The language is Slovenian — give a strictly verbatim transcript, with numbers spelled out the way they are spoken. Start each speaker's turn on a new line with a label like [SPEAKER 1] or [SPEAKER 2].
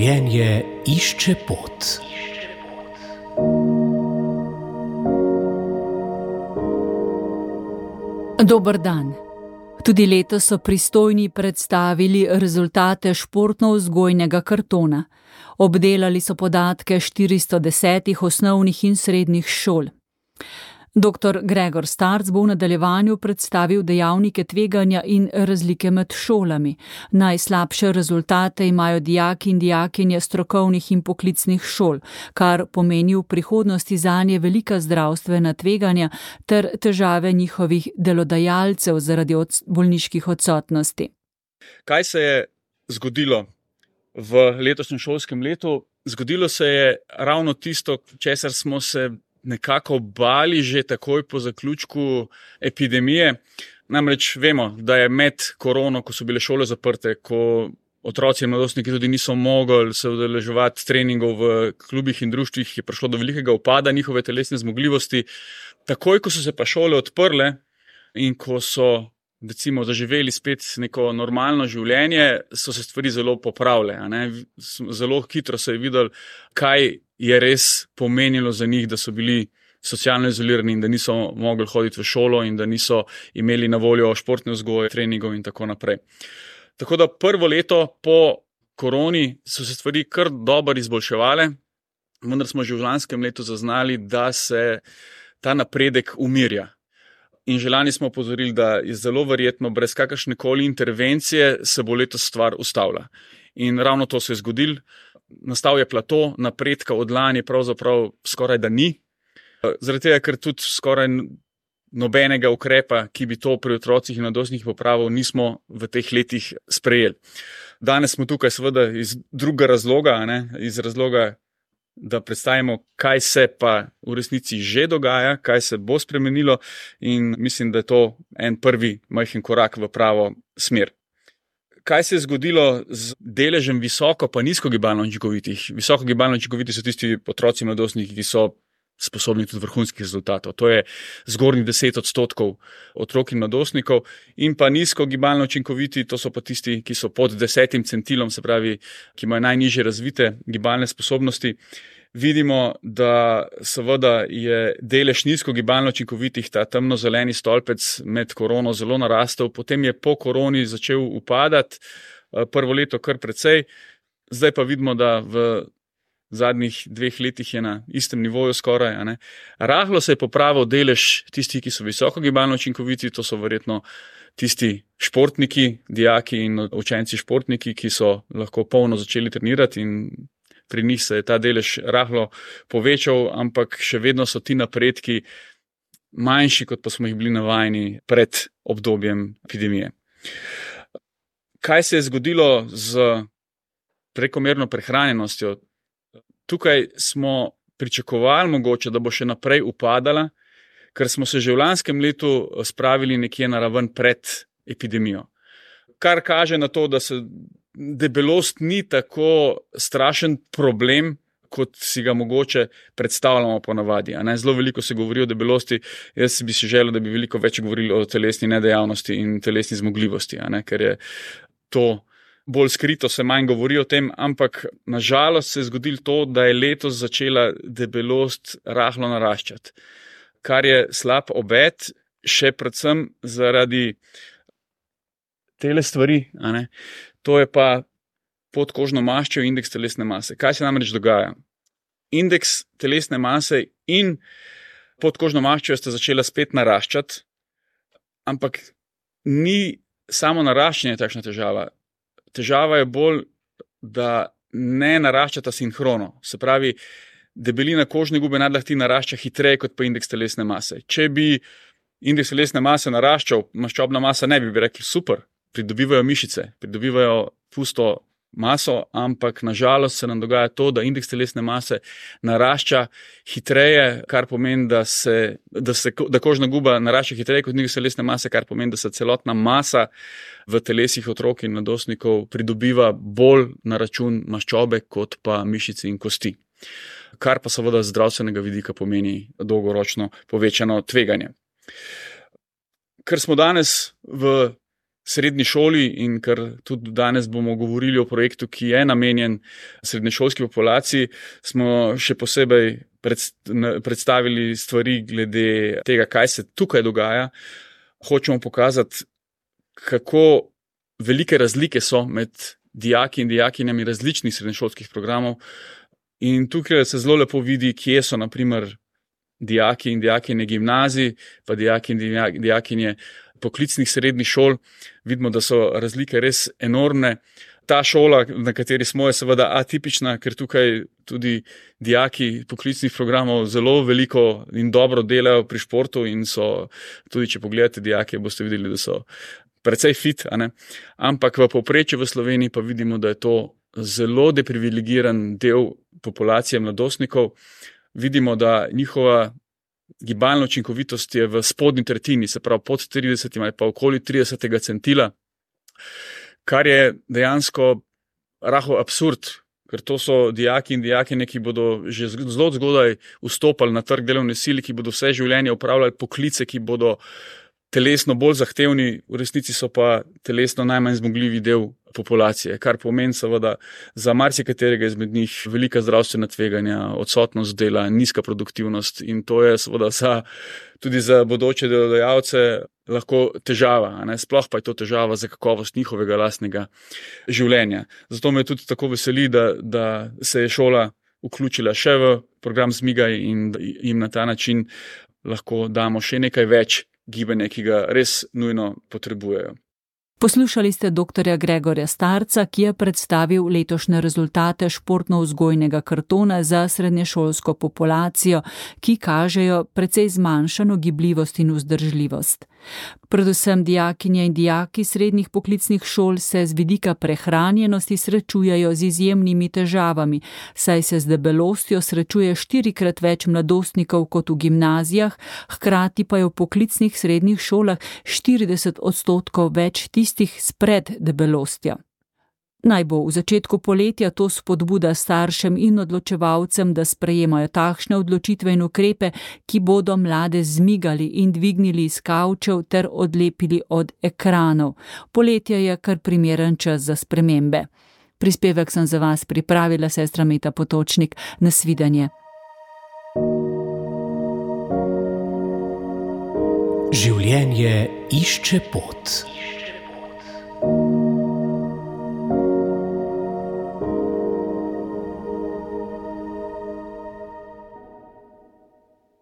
[SPEAKER 1] Življenje išče pot.
[SPEAKER 2] Dober dan. Tudi letos so pristojni predstavili rezultate športno-vzgojnega kartona. Obdelali so podatke štiristo desetih osnovnih in srednjih šol. Doktor Gregor Starc bo v nadaljevanju predstavil dejavnike tveganja in razlike med šolami. Najslabše rezultate imajo dijaki in dijakinje strokovnih in poklicnih šol, kar pomeni v prihodnosti zanje velika zdravstvena tveganja ter težave njihovih delodajalcev zaradi od bolniških odsotnosti.
[SPEAKER 3] Kaj se je zgodilo v letošnjem šolskem letu? Zgodilo se je ravno tisto, česar smo se nekako bali že takoj po zaključku epidemije. Namreč vemo, da je med korono, ko so bile šole zaprte, ko otroci in mladostniki tudi niso mogli se udeleževati treningov v klubih in društvih, je prišlo do velikega upada njihove telesne zmogljivosti. Takoj, ko so se pa šole odprle in ko so recimo zaživeli spet neko normalno življenje, so se stvari zelo popravile. A ne? Zelo hitro se je videlo, kaj je res pomenilo za njih, da so bili socialno izolirani in da niso mogli hoditi v šolo in da niso imeli na voljo športne vzgoje, treningov in tako naprej. Tako da prvo leto po koroni so se stvari kar dobro izboljševale, vendar smo že v lanskem letu zaznali, da se ta napredek umirja. In že lani smo opozorili, da je zelo verjetno brez kakršnekoli intervencije se bo letos stvar ustavila. In ravno to se je zgodilo. Nastal je plato, napredka od lani pravzaprav skoraj da ni. Zaradi tega, ker tudi skoraj nobenega ukrepa, ki bi to pri otrocih in mladostnikih popravil, nismo v teh letih sprejeli. Danes smo tukaj seveda iz drugega razloga, ne? Iz razloga, da predstavimo, kaj se pa v resnici že dogaja, kaj se bo spremenilo, in mislim, da je to en prvi majhen korak v pravo smer. Kaj se je zgodilo z deležem visoko pa nizko gibalno učinkovitih? Visoko gibalno učinkoviti so tisti otroci in mladostniki, ki so sposobni tudi vrhunskih rezultatov. To je zgornjih deset odstotkov otrok in mladostnikov. In pa nizko gibalno učinkoviti, to so pa tisti, ki so pod desetim centilom, se pravi, ki imajo najnižje razvite gibalne sposobnosti. Vidimo, da seveda je delež nizko gibalno učinkovitih, ta temno-zeleni stolpec med korono zelo narastel, potem je po koroni začel upadati, prvo leto kar precej, zdaj pa vidimo, da v zadnjih dveh letih je na istem nivoju skoraj. A ne. Rahlo se je popravil delež tistih, ki so visoko gibalno učinkoviti, to so verjetno tisti športniki, dijaki in učenci športniki, ki so lahko polno začeli trenirati, in pri njih se je ta delež rahlo povečal, ampak še vedno so ti napredki manjši, kot pa smo jih bili navajeni pred obdobjem epidemije. Kaj se je zgodilo z prekomerno prehranjenostjo? Tukaj smo pričakovali mogoče, da bo še naprej upadala, ker smo se že v lanskem letu spravili nekje na raven pred epidemijo. Kar kaže na to, da se debelost ni tako strašen problem, kot si ga mogoče predstavljamo ponavadi. A ne? Zelo veliko se govori o debelosti, jaz bi si želel, da bi veliko več govorili o telesni nedejavnosti in telesni zmogljivosti, a ne? Ker je to bolj skrito, se manj govori o tem, ampak nažalost se je zgodilo to, da je letos začela debelost rahlo naraščati, kar je slab obet, še predvsem zaradi tele stvari, a ne? To je pa podkožno maščo in indeks telesne mase. Kaj se namreč dogaja? Indeks telesne mase in podkožno maščo sta začela spet naraščati, ampak ni samo naraščanje takšna težava. Težava je bolj, da ne naraščata sinhrono. Se pravi, debelina kožne gube nadlahti narašča hitreje kot pa indeks telesne mase. Če bi indeks telesne mase naraščal, maščobna masa ne bi, bi rekli super, pridobivajo mišice, pridobivajo pusto maso, ampak nažalost se nam dogaja to, da indeks telesne mase narašča hitreje, kar pomeni, da, se, da, se, da kožna guba narašča hitreje kot indeks telesne mase, kar pomeni, da se celotna masa v telesih otrok in mladostnikov pridobiva bolj na račun maščobe kot pa mišice in kosti. Kar pa seveda z zdravstvenega vidika pomeni dolgoročno povečano tveganje. Ker smo danes v srednji šoli in ker tudi danes bomo govorili o projektu, ki je namenjen srednješolski populaciji, smo še posebej predstavili stvari glede tega, kaj se tukaj dogaja. Hočemo pokazati, kako velike razlike so med dijaki in dijakinjami različnih srednješolskih programov. In tukaj se zelo lepo vidi, kje so naprimer dijaki in dijakinje gimnazij, pa dijaki in dijakinje poklicnih srednjih šol. Vidimo, da so razlike res enormne. Ta šola, na kateri smo, je seveda atipična, ker tukaj tudi dijaki poklicnih programov zelo veliko in dobro delajo pri športu in so, tudi če pogledate dijake, boste videli, da so precej fit, a ne? Ampak v povprečju v Sloveniji pa vidimo, da je to zelo deprivilegiran del populacije mladostnikov. Vidimo, da njihova gibalna učinkovitost je v spodnji tretjini, se pravi pod tridesetim ali pa okoli tridesetega centila, kar je dejansko rahel absurd, ker to so dijaki in dijakinje, ki bodo že zelo zgodaj vstopali na trg delovne sile, ki bodo vse življenje upravljali poklice, ki bodo telesno bolj zahtevni, v resnici so pa telesno najmanj zmogljivi del populacije, kar pomeni seveda za marsikaterega izmed njih velika zdravstvena tveganja, odsotnost dela, nizka produktivnost in to je seveda za, tudi za bodoče delodajalce lahko težava, a ne? Sploh pa je to težava za kakovost njihovega lastnega življenja. Zato me tudi tako veseli, da, da se je šola vključila še v program Zmigaj in jim na ta način lahko damo še nekaj več gibanja, ki ga res nujno potrebujejo.
[SPEAKER 2] Poslušali ste doktorja Gregorja Starca, ki je predstavil letošnje rezultate športno-vzgojnega kartona za srednješolsko populacijo, ki kažejo precej zmanjšano gibljivost in vzdržljivost. Predvsem dijakinje in dijaki srednjih poklicnih šol se z vidika prehranjenosti srečujejo z izjemnimi težavami, saj se z debelostjo srečuje štirikrat več mladostnikov kot v gimnazijah, hkrati pa je v poklicnih srednjih šolah štirideset odstotkov več tistih s preddebelostjo. Naj bo v začetku poletja to spodbuda staršem in odločevalcem, da sprejemajo takšne odločitve in ukrepe, ki bodo mlade zmigali in dvignili iz kavčev ter odlepili od ekranov. Poletje je kar primeren čas za spremembe. Prispevek sem za vas pripravila sestra Meta Potočnik. Nasvidenje.
[SPEAKER 1] Življenje išče pot.